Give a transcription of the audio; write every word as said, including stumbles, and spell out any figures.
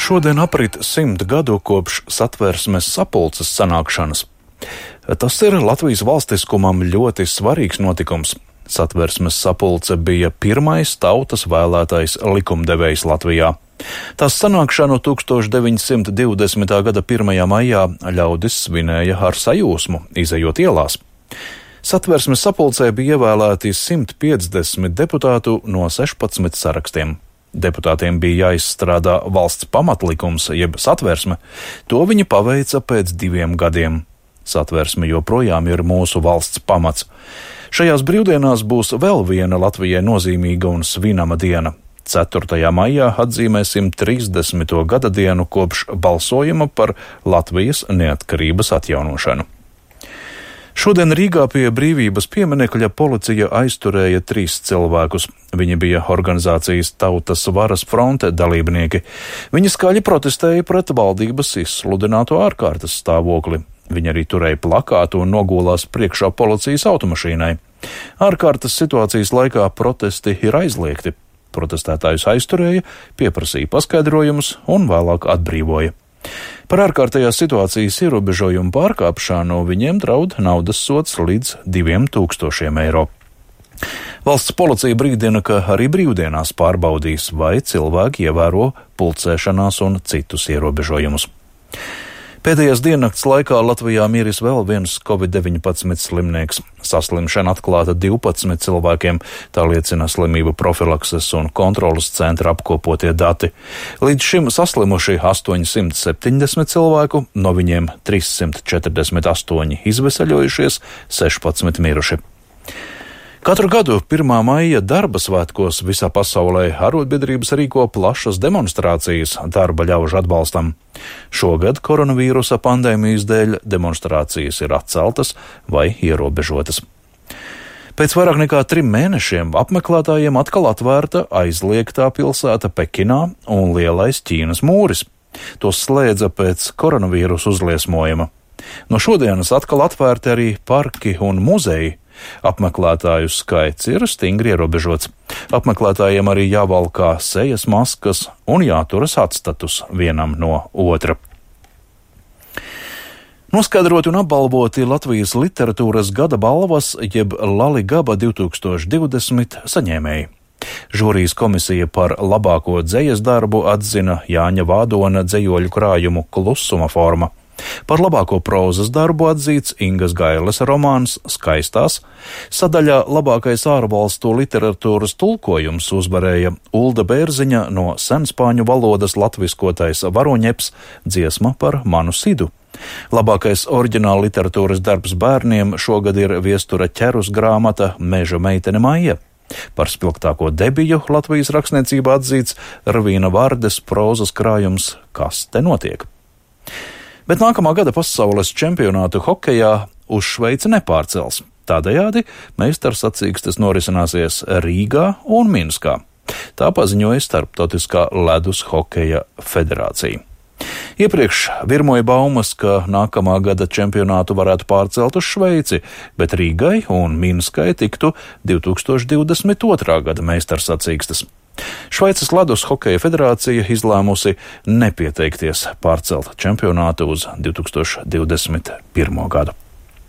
Šodien aprit simt gadu kopš Satversmes sapulces sanākšanas. Tas ir Latvijas valstiskumam ļoti svarīgs notikums. Satversmes sapulce bija pirmais tautas vēlētais likumdevējs Latvijā. Tās sanākšanu tūkstoš deviņi simti divdesmitā gada pirmajā maijā ļaudis svinēja ar sajūsmu, izejot ielās. Satversmes sapulcē bija ievēlēti simt piecdesmit deputātu no sešpadsmit sarakstiem. Deputātiem bija jāizstrādā valsts pamatlikums, jeb satversme. To viņi paveica pēc diviem gadiem. Satversme joprojām ir mūsu valsts pamats. Šajās brīvdienās būs vēl viena Latvijai nozīmīga un svinama diena. ceturtajā maijā atzīmēsim trīsdesmito gada dienu kopš balsojuma par Latvijas neatkarības atjaunošanu. Šodien Rīgā pie Brīvības pieminekļa policija aizturēja trīs cilvēkus. Viņi bija organizācijas Tautas varas fronte dalībnieki. Viņi skaļi protestēja pret valdības izsludināto ārkārtas stāvokli. Viņi arī turēja plakātu un nogulās priekšā policijas automašīnai. Ārkārtas situācijas laikā protesti ir aizliegti. Protestētājus aizturēja, pieprasīja paskaidrojumus un vēlāk atbrīvoja. Par ārkārtējās situācijas ierobežojumu pārkāpšanu viņiem draud naudas sods līdz diviem tūkstošiem eiro. Valsts policija brīdina, ka arī brīvdienās pārbaudīs, vai cilvēki ievēro pulcēšanās un citus ierobežojumus. Pēdējās diennakts laikā Latvijā miris vēl viens covid deviņpadsmit slimnieks. Saslimšana atklāta divpadsmit cilvēkiem, tā liecina slimību profilakses un kontrolas centra apkopotie dati. Līdz šim saslimuši astoņsimt septiņdesmit cilvēku, no viņiem trīssimt četrdesmit astoņi izveseļojušies, sešpadsmit miruši. Katru gadu pirmā maija darba svētkos visā pasaulē arotbiedrības rīko plašas demonstrācijas darba ļaužu atbalstam. Šogad koronavīrusa pandēmijas dēļ demonstrācijas ir atceltas vai ierobežotas. Pēc vairāk nekā trim mēnešiem apmeklētājiem atkal atvērta aizliegtā pilsēta Pekinā un lielais Ķīnas mūris. Tos slēdza pēc koronavīrusa uzliesmojuma. No šodienas atkal atvērti arī parki un muzeji. Apmeklētāju skaits ir stingri ierobežots. Apmeklētājiem arī jāvalkā sejas maskas un jāturas atstatus vienam no otra. Noskaidroti un apbalvoti Latvijas literatūras gada balvas, jeb Laligaba divi tūkstoši divdesmit saņēmēji. Žūrijas komisija par labāko dzejas darbu atzina Jāņa Vādona dzejoļu krājumu Klusuma forma. Par labāko prózas darbu atzīts Ingas Gailes romāns Skaistās. Sadaļā labākais ārvalstu literatūras tulkojums uzvarēja Ulda Bērziņa no senspāņu valodas latviskotais Varoņeps dziesma par manu sidu. Labākais oriģināla literatūras darbs bērniem šogad ir Viestura Ķerus grāmata Meža meitene Maija. Par spilgtāko debiju Latvijas rakstniecībā atzīts Ravīna Vārdes prózas krājums Kas te notiek? Bet nākamā gada pasaules čempionātu hokejā uz Šveici nepārcels. Tādējādi meistarsacīkstes norisināsies Rīgā un Minskā. Tā paziņoja Starptautiskā ledus hokeja federācija. Iepriekš virmoja baumas, ka nākamā gada čempionātu varētu pārcelt uz Šveici, bet Rīgai un Minskai tiktu divi tūkstoši divdesmit otrā gada meistarsacīkstes. Šveices ledus hokeja federācija izlēmusi nepieteikties pārcelt čempionātu uz divi tūkstoši divdesmit pirmo gadu.